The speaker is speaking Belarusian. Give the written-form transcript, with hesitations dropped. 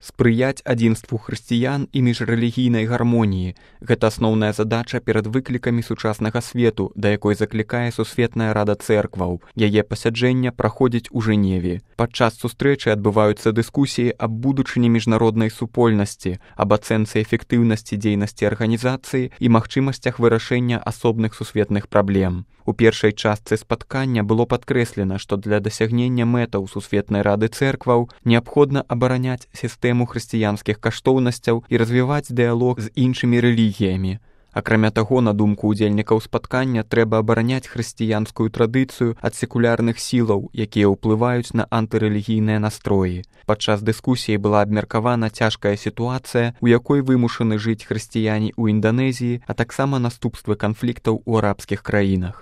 Спрыяць адзінству хрысціян і міжрэлігійнай гармоніі – гэта асноўная задача перад выклікамі сучаснага свету, да якой заклікае Сусветная Рада Цэркваў. Яе пасяджэння праходзіць у Жэневе. Падчас сустрэчы адбываюцца дыскусіі аб будучыні міжнароднай супольнасці, аб ацэнцы эфектыўнасці дзейнасці арганізацыі і магчымасцях вырашэння асобных сусветных праблем. У першай частцы спаткання было падкрэслена, што для дасягнення мэтаў Сусветнай Рады Цэркваў неабходна абараняць сістэму хрысціянскіх каштоўнасцяў і развіваць дыялог з іншымі рэлігіямі. Акрамя таго, на думку ўдзельнікаў спаткання, трэба абараняць хрысціянскую традыцыю ад секулярных сілаў, якія ўплываюць на антырэлігійныя настроі. Падчас дыскусіі была абмеркавана цяжкая сітуацыя, у якой вымушаны жыць хрысціяне ў Інданезіі, а таксама наступствы канфліктаў у арабскіх краінах.